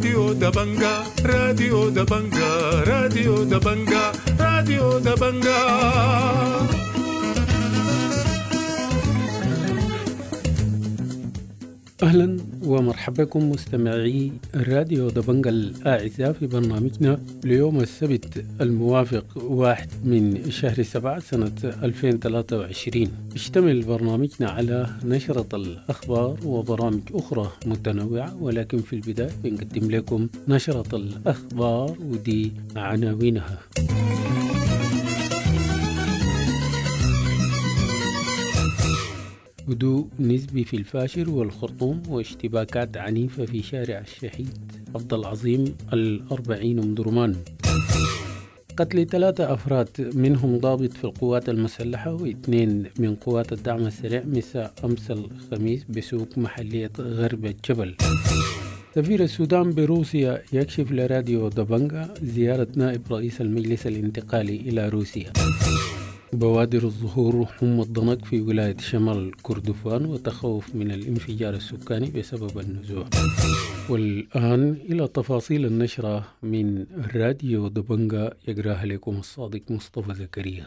راديو دبنجا، راديو دبنجا، راديو دبنجا، راديو دبنجا. أهلا ومرحبا بكم مستمعي راديو دبنجا الأعزاء في برنامجنا ليوم السبت الموافق 1 من شهر 7 سنة 2023. اشتمل برنامجنا على نشرة الأخبار وبرامج أخرى متنوعة، ولكن في البداية بنقدم لكم نشرة الأخبار ودي عناوينها. هدوء نسبي في الفاشر والخرطوم واشتباكات عنيفة في شارع الشهيد عبد العظيم 40 أم درمان. قتل 3 أفراد منهم ضابط في القوات المسلحة و2 من قوات الدعم السريع مساء أمس الخميس بسوق محلية غرب الجبل. سفير السودان بروسيا يكشف لراديو دبنجا زيارة نائب رئيس المجلس الانتقالي إلى روسيا. بوادر الظهور حمى الضنك في ولاية شمال كردفان وتخوف من الانفجار السكاني بسبب النزوح. والآن إلى تفاصيل النشرة من راديو دبنجا يقراها لكم الصادق مصطفى زكريا.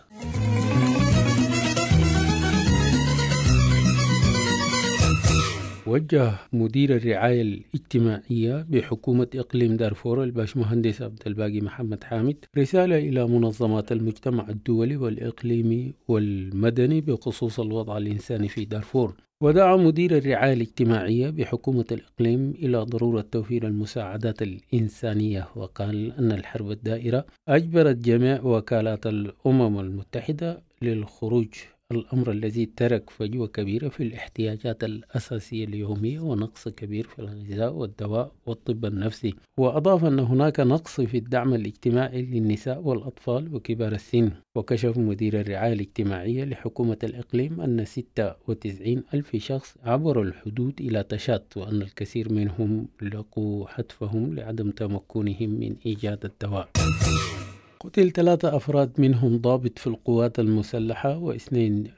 وجه مدير الرعاية الاجتماعية بحكومة إقليم دارفور الباشمهندس عبد الباقي محمد حامد رسالة إلى منظمات المجتمع الدولي والإقليمي والمدني بخصوص الوضع الإنساني في دارفور. ودعا مدير الرعاية الاجتماعية بحكومة الإقليم إلى ضرورة توفير المساعدات الإنسانية، وقال أن الحرب الدائرة أجبرت جميع وكالات الأمم المتحدة للخروج، الأمر الذي ترك فجوة كبيرة في الاحتياجات الأساسية اليومية ونقص كبير في الغذاء والدواء والطب النفسي. وأضاف أن هناك نقص في الدعم الاجتماعي للنساء والأطفال وكبار السن. وكشف مدير الرعاية الاجتماعية لحكومة الإقليم أن 96 ألف شخص عبروا الحدود إلى تشاد، وأن الكثير منهم لقوا حتفهم لعدم تمكنهم من إيجاد الدواء. قتل 3 أفراد منهم ضابط في القوات المسلحة و2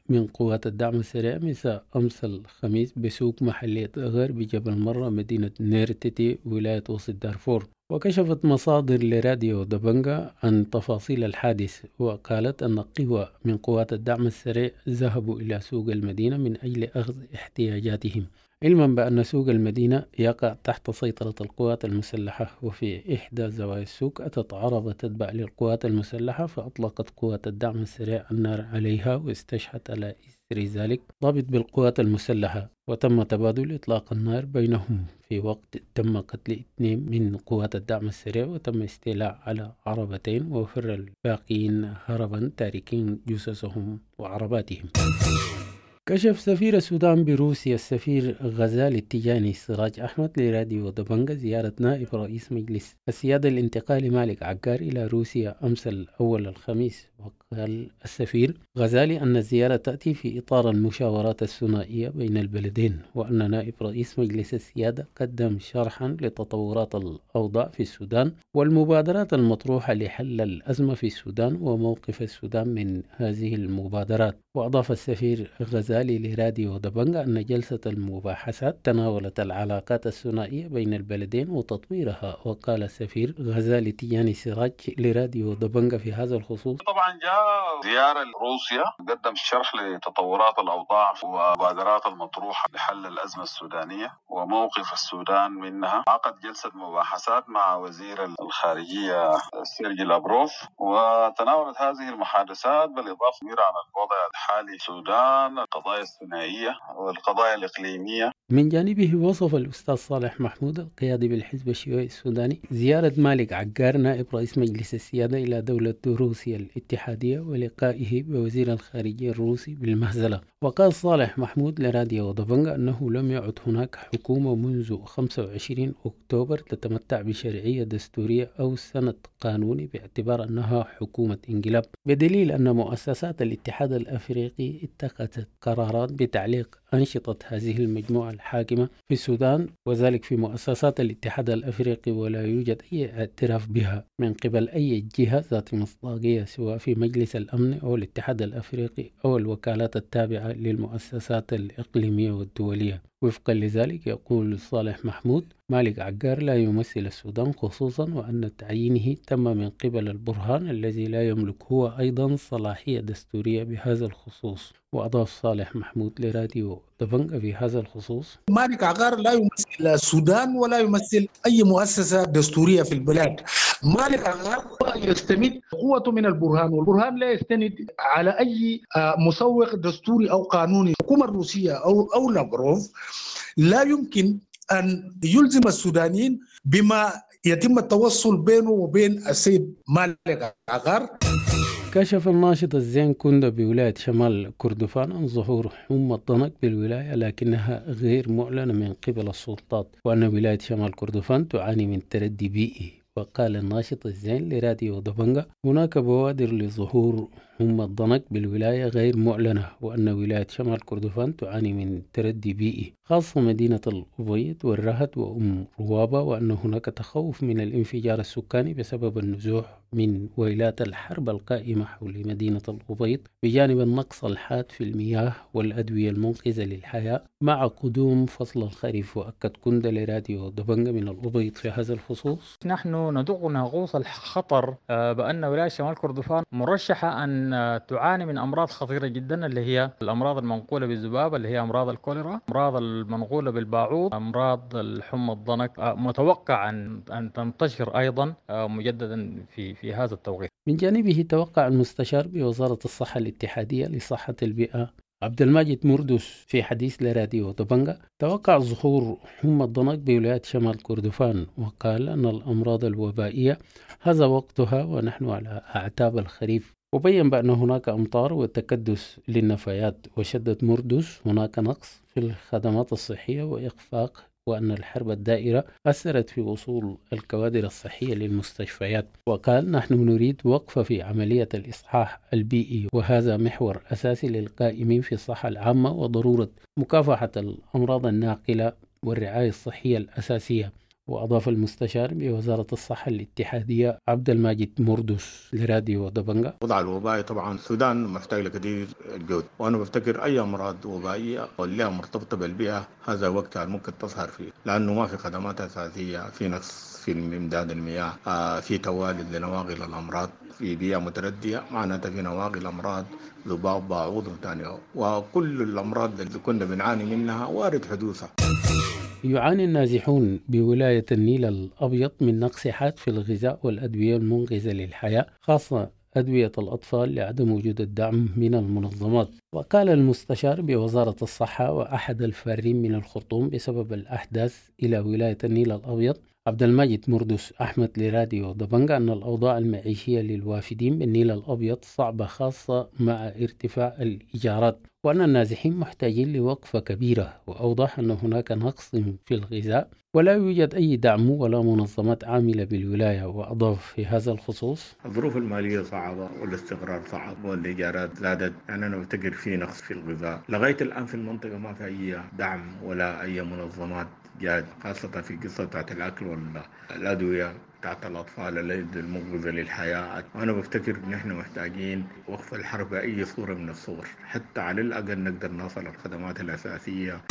من قوات الدعم السريع مساء أمس الخميس بسوق محلية غرب جبل مرة مدينة نيرتتي ولاية وسط دارفور. وكشفت مصادر لراديو دبنجا عن تفاصيل الحادث، وقالت أن قوة من قوات الدعم السريع ذهبوا إلى سوق المدينة من أجل أخذ احتياجاتهم، علما بأن سوق المدينة يقع تحت سيطرة القوات المسلحة. وفي إحدى زوايا السوق أتت عربة تتبع للقوات المسلحة، فأطلقت قوات الدعم السريع النار عليها واستشهد على إثر ذلك ضابط بالقوات المسلحة، وتم تبادل إطلاق النار بينهم في وقت تم قتل 2 من قوات الدعم السريع، وتم استيلاء على عربتين، وفر الباقين هربا تاركين جثثهم وعرباتهم. كشف سفير السودان بروسيا السفير غزال التجاني سراج أحمد لراديو دبنجا زيارة نائب رئيس مجلس السيادة الانتقالي مالك عقار إلى روسيا أمس الأول الخميس. وقال السفير غزالي أن الزيارة تأتي في إطار المشاورات الثنائية بين البلدين، وأن نائب رئيس مجلس السيادة قدم شرحا لتطورات الأوضاع في السودان والمبادرات المطروحة لحل الأزمة في السودان وموقف السودان من هذه المبادرات. وأضاف السفير غزالي لراديو دبنجا أن جلسة المباحثات تناولت العلاقات الثنائية بين البلدين وتطويرها. وقال السفير غزالي تياني سراج لراديو دبنجا في هذا الخصوص: طبعا جاء زيارة لروسيا، قدم شرح لتطورات الأوضاع ومبادرات المطروحة لحل الأزمة السودانية وموقف السودان منها. عقد جلسة مباحثات مع وزير الخارجية سيرجي لابروف، وتناولت هذه المحادثات بالإضافة عن الوضع الحالي في السودان، القضايا الثنائية والقضايا الإقليمية. من جانبه وصف الأستاذ صالح محمود القيادي بالحزب الشيوعي السوداني زيارة مالك عقار نائب رئيس مجلس السيادة إلى دولة روسيا الاتحادية ولقائه بوزير الخارجية الروسي بالمهزلة. وقال صالح محمود لراديو دبنجا أنه لم يعد هناك حكومة منذ 25 أكتوبر تتمتع بشرعية دستورية أو سند قانوني باعتبار أنها حكومة انقلاب، بدليل أن مؤسسات الاتحاد الأفريقي اتخذت قرارات بتعليق أنشطة هذه المجموعة الحاكمة في السودان، وذلك في مؤسسات الاتحاد الأفريقي، ولا يوجد أي اعتراف بها من قبل أي جهة ذات مصداقية سواء في مجلس الأمن أو الاتحاد الأفريقي أو الوكالات التابعة للمؤسسات الإقليمية والدولية. وفقا لذلك يقول صالح محمود مالك عقار لا يمثل السودان، خصوصا وأن تعيينه تم من قبل البرهان الذي لا يملك هو أيضا صلاحية دستورية بهذا الخصوص. وأضاف صالح محمود لراديو دبنجا في هذا الخصوص: مالك عقار لا يمثل السودان ولا يمثل أي مؤسسة دستورية في البلاد. مالك عقار يستمد قوته من البرهان، والبرهان لا يستند على أي مسوغ دستوري أو قانوني. الحكومة الروسية أو لافروف لا يمكن أن يلزم السودانيين بما يتم التوصل بينه وبين السيد مالك عقار. كشف الناشط الزين كوندا بولاية شمال كردفان عن ظهور حمى الضنك بالولاية، لكنها غير معلنة من قبل السلطات، وأن ولاية شمال كردفان تعاني من تردي بيئي. وقال الناشط الزين لراديو دبنجا: هناك بوادر لظهور حمى الضنك بالولاية غير معلنة، وأن ولاية شمال كردفان تعاني من تردي بيئي، خاصة مدينة الأبيض والرهد وأم روابة، وأن هناك تخوف من الانفجار السكاني بسبب النزوح من ويلات الحرب القائمة حول مدينة الأبيض، بجانب النقص الحاد في المياه والأدوية المنقذة للحياة مع قدوم فصل الخريف. وأكد كوندا لراديو دبنجا من الأبيض في هذا الخصوص: نحن ندق ناقوس الخطر بأن ولاية شمال كردفان مرشحة أن تعاني من أمراض خطيرة جدا، اللي هي الأمراض المنقولة بالذباب، اللي هي أمراض الكوليرا، أمراض المنقولة بالباعوض، أمراض الحمى الضنك، متوقع أن تنتشر أيضا مجددا في هذا التوقيت. من جانبه توقع المستشار بوزارة الصحة الاتحادية لصحة البيئة عبد الماجد مردس في حديث لراديو دبنجا توقع ظهور حمى الضنك بولاية شمال كردفان، وقال أن الأمراض الوبائية هذا وقتها ونحن على أعتاب الخريف، وبين بأن هناك أمطار وتكدس للنفايات. وشدد مردس هناك نقص في الخدمات الصحية وإخفاق، وأن الحرب الدائرة أثرت في وصول الكوادر الصحية للمستشفيات. وقال: نحن نريد وقفة في عملية الإصحاح البيئي، وهذا محور أساسي للقائمين في الصحة العامة وضرورة مكافحة الأمراض الناقلة والرعاية الصحية الأساسية. وأضاف المستشار بوزارة الصحة الاتحادية عبد الماجد مردس لراديو دبنجا: الوضع الوبائي طبعا السودان محتاج لكثير الجهد، وأنا بفتكر أي أمراض وبائية واللي مرتبطة بالبيئة هذا وقتها ممكن تظهر فيه، لأنه ما في خدمات أساسية، في نقص في إمداد المياه، في توالد لنواقل الأمراض، في بيئة متردية معناتها في نواقل أمراض ذباب باعوض وثانية، وكل الأمراض اللي كنا بنعاني منها وارد حدوثها. يعاني النازحون بولاية النيل الأبيض من نقص حاد في الغذاء والأدوية المنقذة للحياة، خاصة أدوية الأطفال، لعدم وجود الدعم من المنظمات. وقال المستشار بوزارة الصحة وأحد الفارين من الخرطوم بسبب الأحداث إلى ولاية النيل الأبيض عبد الماجد مردس أحمد لراديو دبنجا أن الأوضاع المعيشية للوافدين بالنيل الأبيض صعبة، خاصة مع ارتفاع الإيجارات، وأن النازحين محتاجين لوقفة كبيرة. وأوضح أن هناك نقص في الغذاء ولا يوجد أي دعم ولا منظمات عاملة بالولاية. وأضاف في هذا الخصوص: الظروف المالية صعبة والاستقرار صعب والإيجارات زادت، يعني أنا بفتكر في نقص في الغذاء لغاية الآن في المنطقة، ما في أي دعم ولا أي منظمات جاد، خاصة في قصة بتاعت الأكل والأدوية بتاعت الأطفال المنقذة للحياة. وأنا بفتكر إن إحنا محتاجين وقف الحرب بأي صورة من الصور، حتى على الأقل نقدر نصل الخدمات الأساسية.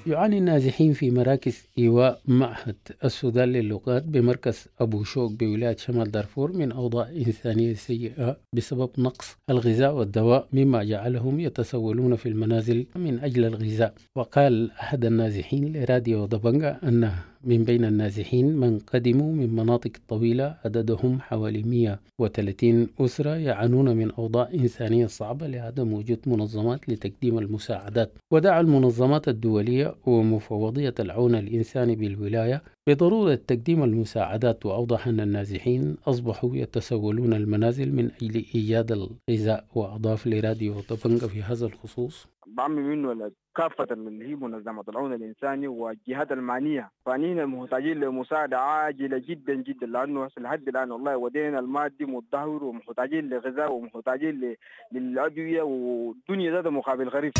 يعاني النازحين في مراكز إيواء معهد السودان للغات بمركز أبو شوك بولاية شمال دارفور من أوضاع إنسانية سيئة بسبب نقص الغذاء والدواء، مما جعلهم يتسولون في المنازل من أجل الغذاء. وقال أحد النازحين لراديو دبنجا أن من بين النازحين من قدموا من مناطق طويلة عددهم حوالي 130 أسرة يعانون من أوضاع إنسانية صعبة لعدم وجود منظمات لتقديم المساعدات. ودعا المنظمات الدولية ومفوضية العون الإنساني بالولاية بضرورة تقديم المساعدات. وأوضح أن النازحين أصبحوا يتسولون المنازل من أجل إيجاد الغذاء. وأضاف لراديو دبنجا في هذا الخصوص: بعمل منه كافة اللي هي منظمة العون الإنساني والجهات المعنية، فانينا محتاجين لمساعدة عاجلة جدا جدا، لأنه لحد الآن والله ودينا المادي متدهور ومحتاجين لغذاء ومحتاجين للأدوية والدنيا ذات مقابل غريب.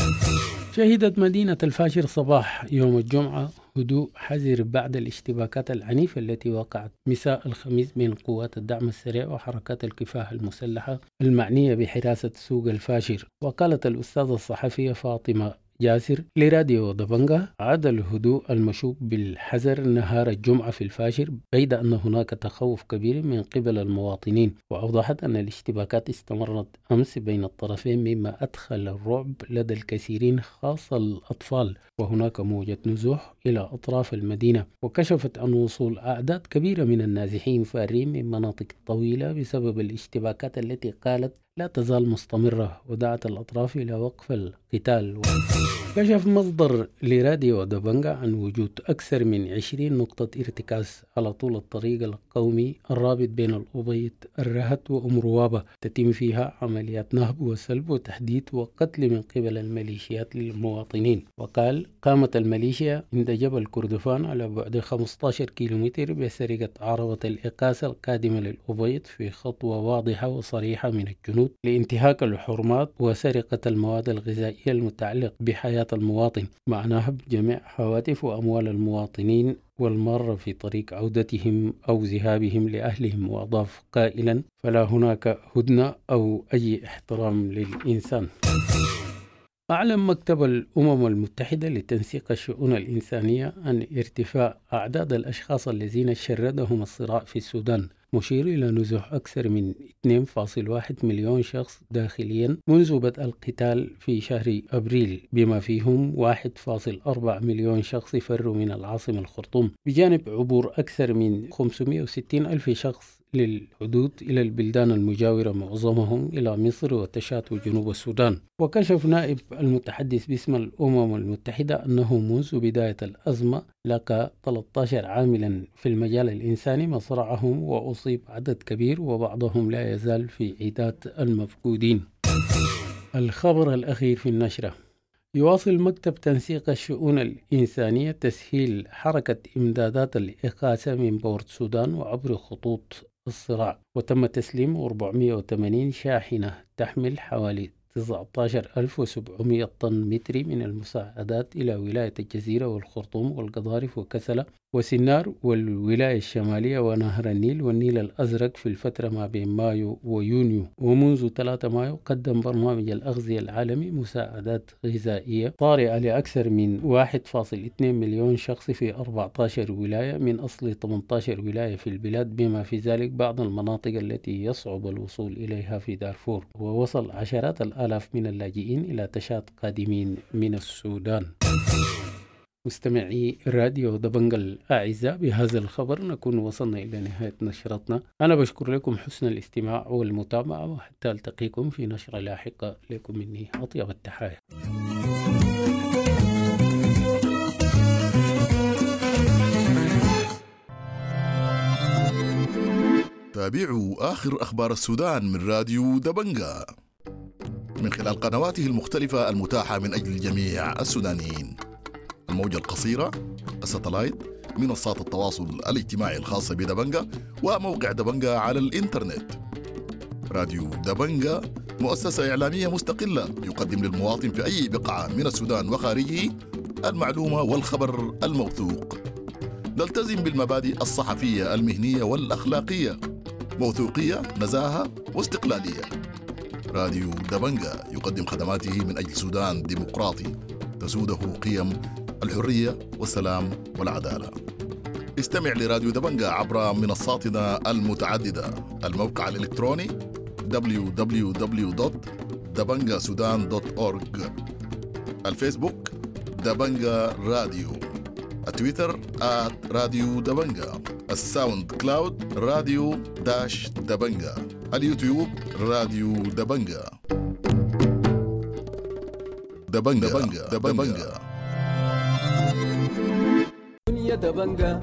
شهدت مدينة الفاشر صباح يوم الجمعة هدوء حذر بعد الاشتباكات العنيفة التي وقعت مساء الخميس بين قوات الدعم السريع وحركات الكفاح المسلحة المعنية بحراسة سوق الفاشر. وقالت الأستاذة الصحفية فاطمة جاسر لراديو دبنجة. عاد الهدوء المشوب بالحذر نهار الجمعة في الفاشر، بيد أن هناك تخوف كبير من قبل المواطنين. وأوضحت أن الاشتباكات استمرت أمس بين الطرفين، مما أدخل الرعب لدى الكثيرين خاصة الأطفال، وهناك موجة نزوح إلى أطراف المدينة. وكشفت عن وصول أعداد كبيرة من النازحين فارين من مناطق طويلة بسبب الاشتباكات التي قالت لا تزال مستمرة، ودعت الأطراف إلى وقف القتال. كشف مصدر لراديو دبنجا عن وجود أكثر من 20 نقطة ارتكاز على طول الطريق القومي الرابط بين الأبيض الرهت وأم روابة، تتم فيها عمليات نهب وسلب وتحديد وقتل من قبل الميليشيات للمواطنين. وقال قامت الميليشيا عند جبل كردفان على بعد 15 كيلومتر بسرقة عربة الإقاسة القادمة للأبيض في خطوة واضحة وصريحة من الجنود لانتهاك الحرمات وسرقة المواد الغذائية المتعلقة بحياة المواطن، مع نهب جميع هواتف وأموال المواطنين والمارة في طريق عودتهم أو ذهابهم لأهلهم. وأضاف قائلا فلا هناك هدنة أو أي احترام للإنسان. أعلن مكتب الأمم المتحدة لتنسيق الشؤون الإنسانية عن ارتفاع أعداد الأشخاص الذين شردهم الصراع في السودان، مشير إلى نزوح أكثر من 2.1 مليون شخص داخليا منذ بدء القتال في شهر أبريل، بما فيهم 1.4 مليون شخص فروا من العاصمة الخرطوم، بجانب عبور أكثر من 560 ألف شخص للحدود إلى البلدان المجاورة، معظمهم إلى مصر وتشاد وجنوب السودان. وكشف نائب المتحدث باسم الأمم المتحدة أنه منذ بداية الأزمة لقى 13 عاملا في المجال الإنساني مصرعهم، وأصيب عدد كبير وبعضهم لا يزال في عداد المفقودين. الخبر الأخير في النشرة: يواصل مكتب تنسيق الشؤون الإنسانية تسهيل حركة إمدادات الإغاثة من بورت السودان وعبر خطوط الصراع، وتم تسليم 480 شاحنة تحمل حوالي 19700 طن متري من المساعدات إلى ولاية الجزيرة والخرطوم والقضارف وكسلة وسنار والولاية الشمالية ونهر النيل والنيل الأزرق في الفترة ما بين مايو ويونيو. ومنذ 3 مايو قدم برنامج الأغذية العالمي مساعدات غذائية طارئة لأكثر من 1.2 مليون شخص في 14 ولاية من أصل 18 ولاية في البلاد، بما في ذلك بعض المناطق التي يصعب الوصول إليها في دارفور. ووصل عشرات الآلاف من اللاجئين إلى تشاد قادمين من السودان. مستمعي راديو دبنجا الأعزاء، بهذا الخبر نكون وصلنا إلى نهاية نشرتنا. أنا بشكر لكم حسن الاستماع والمتابعة، وحتى ألتقيكم في نشرة لاحقة. لكم مني أطيب التحايا. تابعوا آخر أخبار السودان من راديو دبنجا من خلال قنواته المختلفة المتاحة من أجل جميع السودانيين: الموجة القصيرة، الستلايت، منصات التواصل الاجتماعي الخاصة بدبنجا، وموقع دبنجا على الإنترنت. راديو دبنجا مؤسسة إعلامية مستقلة يقدم للمواطن في أي بقعة من السودان وخارجه المعلومة والخبر الموثوق. نلتزم بالمبادئ الصحفية المهنية والأخلاقية، موثوقية، نزاهة واستقلالية. راديو دبنجا يقدم خدماته من أجل سودان ديمقراطي تسوده قيم الحرية والسلام والعدالة. استمع لراديو دبنجا عبر منصاتنا المتعددة: الموقع الإلكتروني www.dabangasudan.org، الفيسبوك دبنجا راديو، التويتر @راديو دبنجا، الساوند كلاود راديو dash دبنجا، اليوتيوب راديو دبنجا. دبنجا دبنجا دبنجا. دنيا دبنجا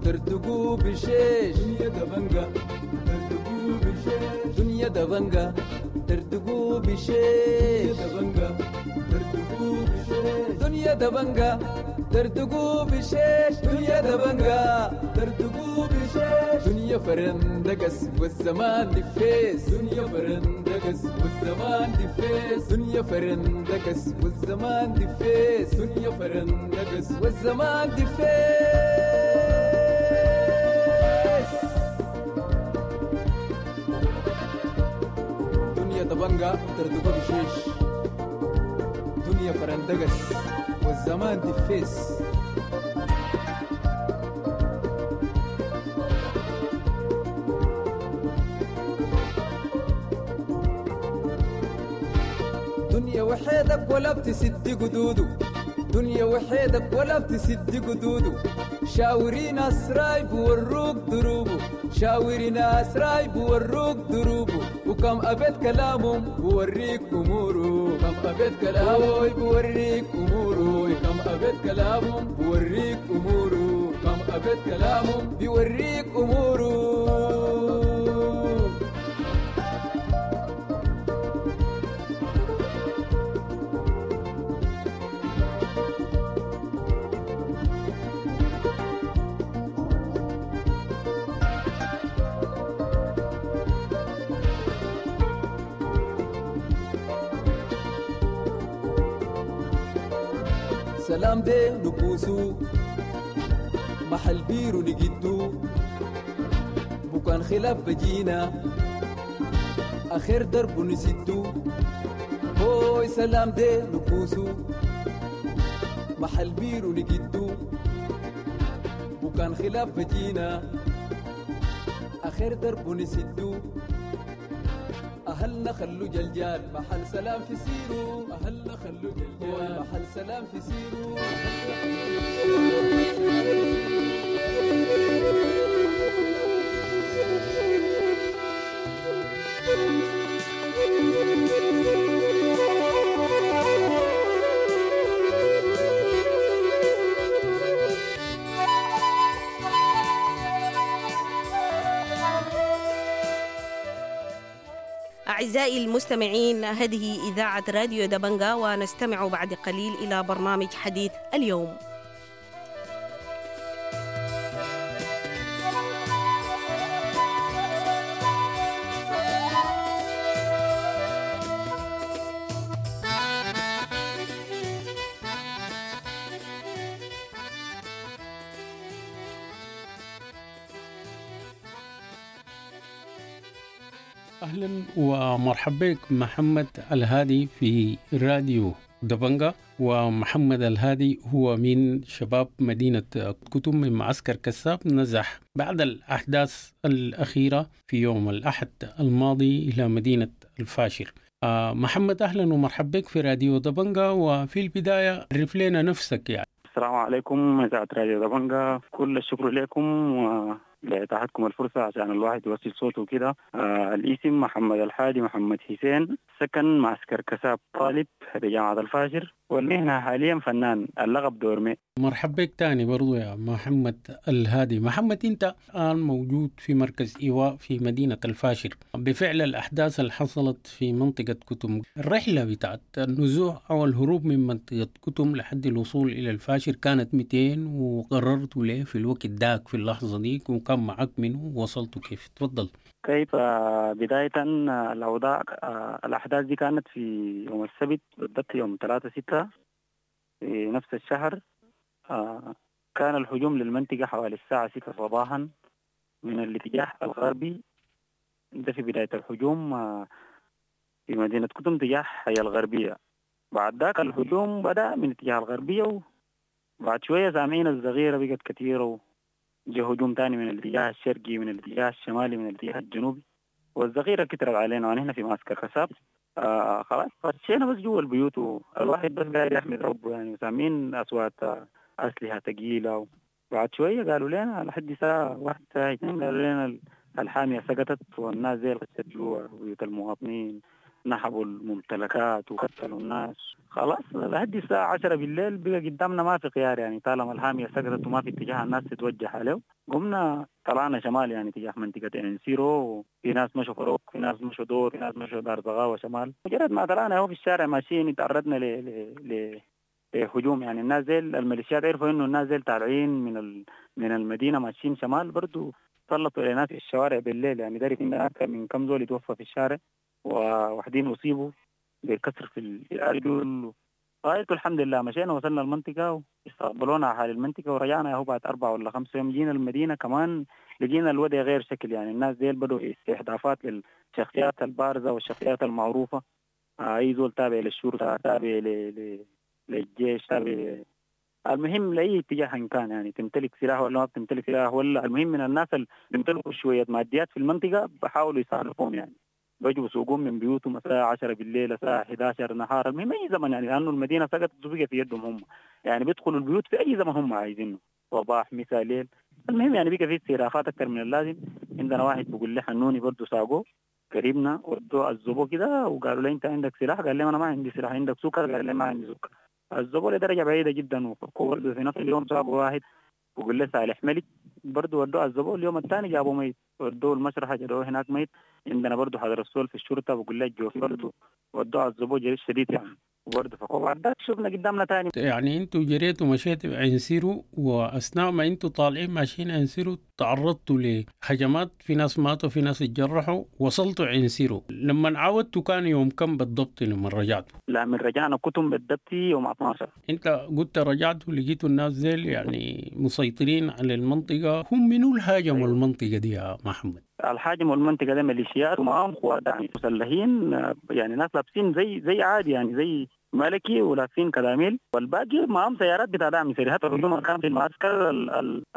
ترتقو بشيش، دنيا دبنجا ترتقو بشيش، دنيا دبنجا ترتقو بشيش، دبنجا ترتقو بشيش، دنيا دبنجا ترتقو بشيش، دنيا دبنجا ترتقو بشيش، دنيا فرندقس والزمان دفيس، دنيا فرندقس والزمان دفيس، دنيا فرندقس والزمان دفيس، دنيا فرندقس والزمان دفيس. دنيا دبنجا ترتقو بشيش، دنيا الدنيا فرندقس والزمان دفيس. دنيا وحيدك ولا بتسد قدوده، دنيا وحيدك ولا بتسد قدوده. شاوري ناس رايب وروك دروبه، شاوري ناس رايب وروك دروبه. وكم أبيت كلامهم بوريك أموره، كم أبيت كلامهم بوريك أموره، كم أبيت كلامهم بوريك أموره، كم أبيت كلامهم بيوريك أموره. سلام دي نبوسو محل بيرو نجدو، بكان خلاف بجينا آخر درب نسدو. هوي سلام دي نبوسو محل بيرو نجدو، بكان خلاف بجينا آخر درب نسدو. أهلنا خلو جلجال محل سلام في سيرو، أهلنا خلو جلجال محل سلام في سيرو. أعزائي المستمعين، هذه إذاعة راديو دبنجا، ونستمع بعد قليل إلى برنامج حديث اليوم. أهلا ومرحبا بك محمد الهادي في راديو دبنجا. ومحمد الهادي هو من شباب مدينة كتم من معسكر كساب، نزح بعد الأحداث الأخيرة في يوم الأحد الماضي إلى مدينة الفاشر. محمد أهلا ومرحبا بك في راديو دبنجا، وفي البداية عرف لنا نفسك يعني. السلام عليكم إذاعة راديو دبنجا، كل الشكر لكم لإتاحتكم الفرصة عشان الواحد يوصل صوته كده. الاسم محمد الحادي محمد حسين، سكن معسكر كساب، طالب بجامعة الفاشر، والمهنة حاليا فنان، اللقب دورمي. مرحبا بك تاني برضو يا محمد الهادي. محمد، أنت الآن موجود في مركز إيواء في مدينة الفاشر. بفعل الأحداث اللي حصلت في منطقة كتم، الرحلة بتاعت النزوح أو الهروب من منطقة كتم لحد الوصول إلى الفاشر كانت 200، وقررت ليه في الوقت داك في اللحظة دي، وكان معك منه ووصلتوا كيف؟ تفضل. كيف بداية الأوضاع؟ الأحداث دي كانت في يوم السبت بالضبط، يوم 3/6 في نفس الشهر. كان الهجوم للمنطقة حوالي الساعة 6 صباحا من الاتجاه الغربي. ده في بداية الهجوم في مدينة كتم تجاه حي الغربية. بعد ذاك الهجوم بدأ من اتجاه الغربية، وبعد شوية سامعين الزغيرة بقت كثيرة، وجه هجوم تاني من الاتجاه الشرقي، من الاتجاه الشمالي، من الاتجاه الجنوبي، والزغيرة كترت علينا ونحن في معسكر كساب. خلاص خشينا بس جوا البيوت، والواحد بس قاعد يحمد ربه يعني، وسامعين أصوات أسلحة ثقيلة. بعد شوية قالوا لنا لحد الساعة 1 الساعة 2 قالوا لنا الحامية سقطت، والناس زي خشت جوا بيوت المواطنين، نحبوا الممتلكات وقتلوا الناس. خلاص لحد الساعة 10 بالليل بقى قدامنا ما في خيار يعني، طالما الحامية سقطت وما في اتجاه الناس تتوجه عليه، قمنا طلعنا شمال يعني تجاه منطقة انسيرو. في ناس مشوا فروق، في ناس مشوا دور، في ناس مشوا دار زغاوة شمال. مجرد ما طلعنا هو في الشارع ماشيين تعرضنا ل هجوم يعني. الناس زي الميليشيات عرفوا انه الناس زي طالعين من المدينة ماشيين شمال، برضو سلطوا على ناس في الشوارع بالليل يعني. داري ان اكثر من كم زول يتوفى في الشارع، وواحدين اصيبوا بكسر في الارجل. غايته الحمد لله مشينا وصلنا المنطقة واستقبلونا اهالي المنطقة، ورجعنا هو بعد 4 ولا 5 يوم. جينا المدينة كمان لقينا الوضع غير شكل يعني. الناس ديل بدوا استهدافات للشخصيات البارزة والشخصيات المعروفة، اي زول تابع للشرطة، تابع للجيش، تابع المهم لاي اتجاه إن كان، يعني تمتلك سلاح ولا ما بتمتلك سلاح، ولا المهم من الناس اللي بيمتلكوا شوية ماديات في المنطقة بحاولوا يصرفوهم، يعني بيجوا بسوقهم من بيوتهم الساعة 10 بالليل، الساعة 11 نهار، المهم اي زمن، يعني لانه المدينة سقطت وبقى في يدهم هم، يعني بيدخلوا البيوت في اي زمن هم عايزينه، صباح مساء ليل. المهم يعني بقى في استهدافات اكثر من اللازم. عندنا واحد بيقول لي حنوني برضه ساقوه قريبنا، ودوه عذبوه كده وقالوا له انت عندك سلاح؟ قال لي انا ما عندي سلاح. عندك سكر؟ قال لي ما عندي سكر. عذبوه لدرجة بعيدة جدا. وبرضه في نفس اليوم ساقوا واحد وقول له صالح ملك، برضه ودوه عذبوه. اليوم الثاني جابوه ميت، ودوه المشرحه جابوه هناك ميت. عندنا برضه حضر السول في الشرطة بقول له الجوفي برضه ودوه عذبوه جريش شديد يعني، وبرضه فكوه. بعد ذاك شفنا قدامنا ثاني. يعني انتوا جريتوا مشيتوا عنسيرو، واثناء ما انتوا طالعين ماشيين عنسيرو تعرضتوا لهجمات، في ناس ماتوا في ناس اتجرحوا، وصلتوا عنسيرو. لما عودتوا كان يوم كم بالضبط لما رجعتوا؟ لا من رجعنا كتم بالضبط يوم 12. انت قلت رجعتوا لقيتوا الناس زي يعني مسيطرين على المنطقة، هم منو الهاجموا المنطقة دي يا محمد؟ الحاجم والمنطقة دي ميليشيات ومعاهم قوات يعني مسلحين، يعني ناس لابسين زي عادي، يعني زي ملكي ولابسين كلاميل، والباقي معاهم سيارات بتاع دعم سريع. حتى الهجوم كان في المعسكر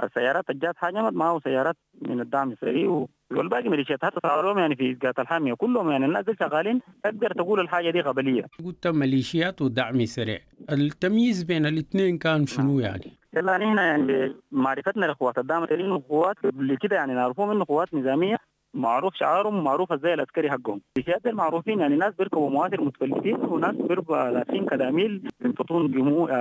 السيارات الجات هاجمت معاهم سيارات من الدعم السريع، والباقي ميليشيات. حتى صاروا يعني في إسقاط الحامية كلهم، يعني الناس دي شغالين. تقدر تقول الحاجة دي قبلية. قلت ميليشيات ودعم سريع، التمييز بين الاثنين كان شنو يعني؟ يلا نحن يعني معرفتنا لقوات الدعم السريع وقوات قبل كده يعني نعرفهم انه قوات نظامية، معروف شعارهم ومعروف ازاي العسكري حقهم. الميليشيات المعروفين يعني ناس بيركبوا مواتر متفلتين وناس بيركبوا لابسين كداميل بينفطون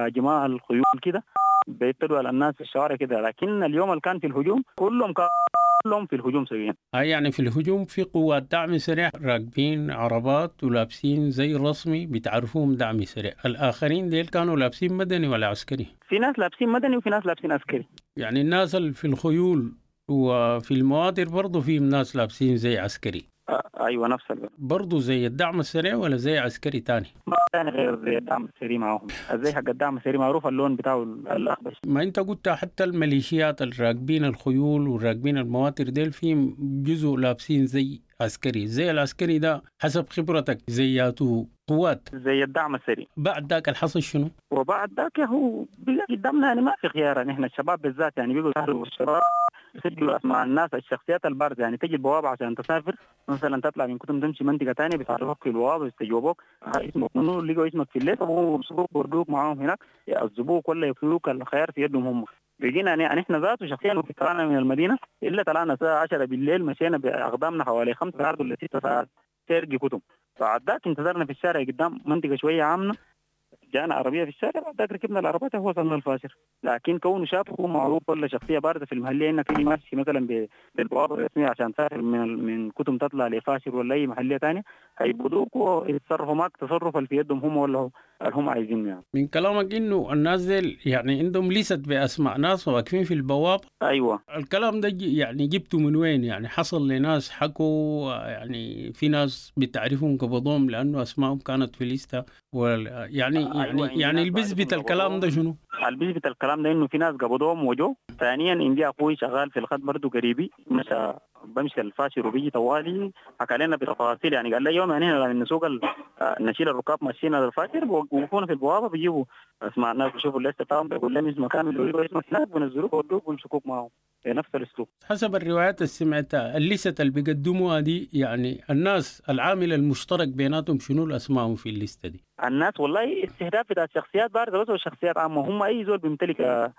جماعة الخيول كده، بيبتدوا على الناس في الشوارع كده. لكن اليوم اللي كان في الهجوم كلهم في الهجوم سويا. يعني في الهجوم في قوات دعم سريع راكبين عربات ولابسين زي رسمي بتعرفوهم دعم سريع، الآخرين ديل كانوا لابسين مدني ولا عسكري؟ في ناس لابسين مدني وفي ناس لابسين عسكري. يعني الناس اللي في الخيول وفي المواتر برضو في ناس لابسين زي عسكري. ايوه نفس الوقت. برضو زي الدعم السريع ولا زي عسكري تاني؟ ما تاني غير زي الدعم السريع معاهم، زي حق الدعم السريع معروف اللون بتاعه الاخضر. ما انت قلت حتى الميليشيات الراكبين الخيول والراكبين المواتر ديل في جزء لابسين زي عسكري، زي العسكري ده حسب خبرتك زياته قوات زي الدعم السريع. بعد ذاك الحصل شنو؟ وبعد ذاك هو بقى قدامنا يعني ما في خيار. نحن الشباب بالذات يعني بيقوا يسهروا الشباب يسجلوا اسماء الناس الشخصيات البارزة، يعني تجي البوابة عشان تسافر مثلا تطلع من كتم تمشي منطقة ثانية بيتعرفوك في البوابة يستجوبوك اسمك منو، لقوا اسمك في الليل وبيمسكوك ويردوك معاهم هناك يعذبوك ولا يقتلوك، الخيار في يدهم هم. بقينا يعني نحن ذاته شخصيا طلعنا من المدينة الا طلعنا الساعة 10 بالليل، مشينا باقدامنا حوالي 5 ساعات ولا 6 ساعات سيرجي كتم. بعد ذاك انتظرنا في الشارع قدام منطقة شوية عامة، جانا عربية في الشارع، بعد ذاك ركبنا العربية هو وصلنا الفاشر. لكن كونه شاب هو معروف ولا شخصية باردة في المحلية انك تيجي ماشي مثلا بالبوابه الرسمية عشان تسافر من كتم تطلع لفاشر ولا اي محليه ثانية، هيبدوك ويتصرفوا معك تصرف اللي في يدهم هم ولا هم عايزينه. يعني من كلامك انه الناس ديل يعني عندهم ليست باسماء ناس واقفين في البوابة. ايوه الكلام ده يعني جبته من وين؟ يعني حصل لناس حكوا، يعني في ناس بتعرفهم قبضوهم لانه اسمائهم كانت في ليسته يعني أيوة يعني اللي بيثبت الكلام ده شنو؟ اللي بيثبت الكلام ده انه في ناس قبضوهم وجو. ثانيا عندي اخوي شغال في الخط برضه قريبي، مشى بمشي الفاشر وبيجي طوالي حكى لنا بتفاصيل، يعني قال لي يوم يعني هنا نسوق نشيل الركاب ماشيين على الفاشر بوقفونا في البوابة بيجيبوا اسماء الناس بيشوفوا الليستة بتاعهم بيقول لهم اسمه كامل بيقولوا اسمه هناك بينزلوك ويودوك ويمسكوك معاهم بنفس الاسلوب. حسب الروايات اللي سمعتها الليستة اللي بيقدموها دي يعني الناس العامل المشترك بيناتهم شنو الاسماء في الليستة دي؟ الناس والله استهداف بتاع شخصيات باردة بس وشخصيات عامة، هم اي زول بيمتلك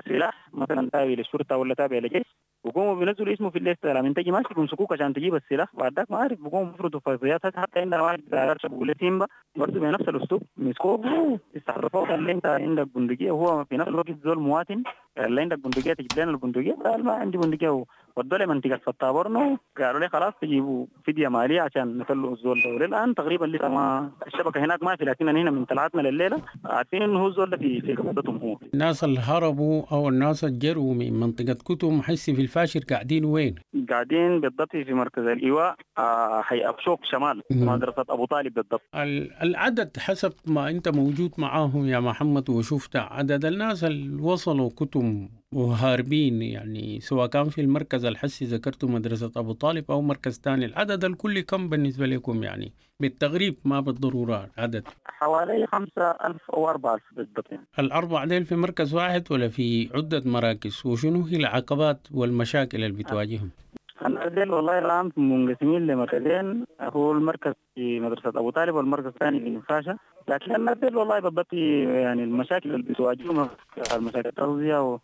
سلاح مثلا تابع للشرطة ولا تابع للجيش بقوموا بينزلوا اسمه في الليستة، لما تجي ماشي بيمسكوك عشان تجيب السلاح. بعد ذاك ما عارف بقوموا بيفرضوا فرضيات. حتى عندنا واحد بتاع بيقول سيمبا برضه بنفس الاسلوب مسكوه استعرفوه قال لي انت عندك بندقية، وهو في نفس الوقت زول مواطن، قال لي عندك بندقية تجيب لنا البندقية؟ قال ما عندي بندقية. ودوا لي منطقة فتابورنو قالوا لي خلاص تجيبوا فدية ماليه عشان نطلعوا الزول ده. وللان تقريبا لسه ما الشبكة هناك ما في، لكن هنا من طلعتنا لليلة عارفين انه هو الزول ده في قبضتهم. هو الناس اللي هربوا او الناس اللي جروا من منطقة كتم حسي في الفاشر قاعدين وين؟ قاعدين بالضبط في مركز الايواء حي ابشوك شمال مدرسه ابو طالب بالضبط. العدد حسب ما انت موجود معاهم يا محمد وشفت عدد الناس اللي وصلوا كتم وهاربين، يعني سواء كان في المركز الحسي ذكرته مدرسة أبو طالب أو مركز تاني، العدد الكلي كم بالنسبة لكم يعني بالتغريب ما بالضرورة عدد؟ حوالي 5000 أو 4000 بالضبط يعني. الأربع ديل في مركز واحد ولا في عدة مراكز؟ وشنو هي العقبات والمشاكل اللي بتواجههم؟ الناس ديل والله الآن منقسمين لمركزين، هو المركز في مدرسة أبو طالب والمركز الثاني في نفاشة. لكن الناس ديل والله بالضبط يعني المشاكل اللي بتواجههم المشاكل التغذية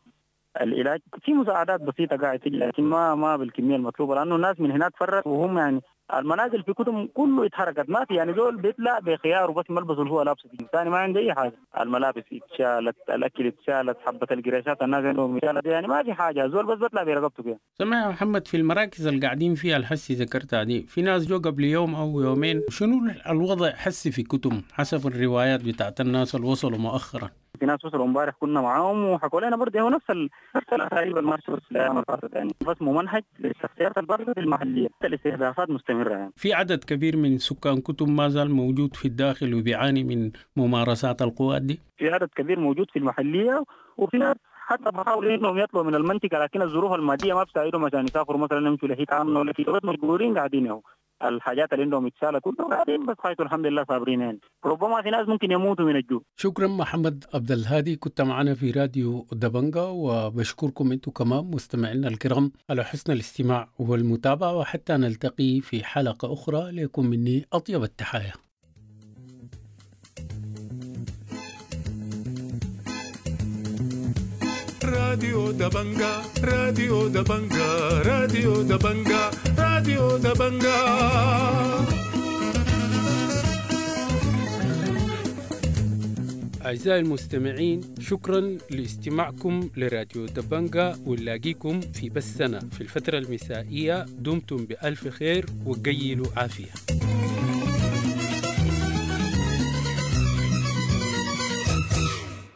والعلاج، في مساعدات بسيطة قاعدة تجي لكن ما بالكمية المطلوبة، لأنه الناس من هناك فرت وهم يعني المنازل في كتم كله اتحركت، ما في يعني زول بيطلع بخيار وبس ملبسه اللي هو لابسه ثاني ما عنده اي حاجه، الملابس اتشالت، الاكل اتشالت، حبه القريشات الناس عندهم اتشالت، يعني ما في حاجه، زول بس بيطلع برقبته كده. سمع يا محمد، في المراكز اللي قاعدين فيها الحسي ذكرتها دي، في ناس جو قبل يوم او يومين، شنو الوضع حسي في كتم حسب الروايات بتاعت الناس اللي وصلوا مؤخرا؟ في ناس وصلوا امبارح كنا معاهم وحكوا لنا برضه هو نفس الاساليب الماشيه بس الايام اللي فاتت يعني، بس ممنهج للشخصيات البارزه المحليه، الاستهدافات مستمره يعني. في عدد كبير من سكان كتم ما زال موجود في الداخل وبيعاني من ممارسات القوات دي؟ في عدد كبير موجود في المحليه، وفي ناس حتى بحاولوا انهم يطلعوا من المنطقه لكن الظروف الماديه ما بتساعدهم عشان يسافروا مثلا يمشوا لحيت عامه ولا كده، بس مجبورين قاعدين اهو، الحاجات اللي عندهم اتشالت كلهم قاعدين بس خايفوا الحمد لله صابرين يعني، ربما في ناس ممكن يموتوا من الجوع. شكرا محمد عبد الهادي، كنت معنا في راديو دبنجا، وبشكركم انتم كمان مستمعينا الكرام على حسن الاستماع والمتابعه، وحتى نلتقي في حلقه اخرى، لكم مني اطيب التحايا. راديو دبنجا، راديو دبنجا، راديو دبنجا، راديو دبنجا. أعزائي المستمعين، شكرا لاستماعكم لراديو دبنجا، ونلاقيكم في بثنا في الفترة المسائية. دمتم بألف خير وقيلوا عافية.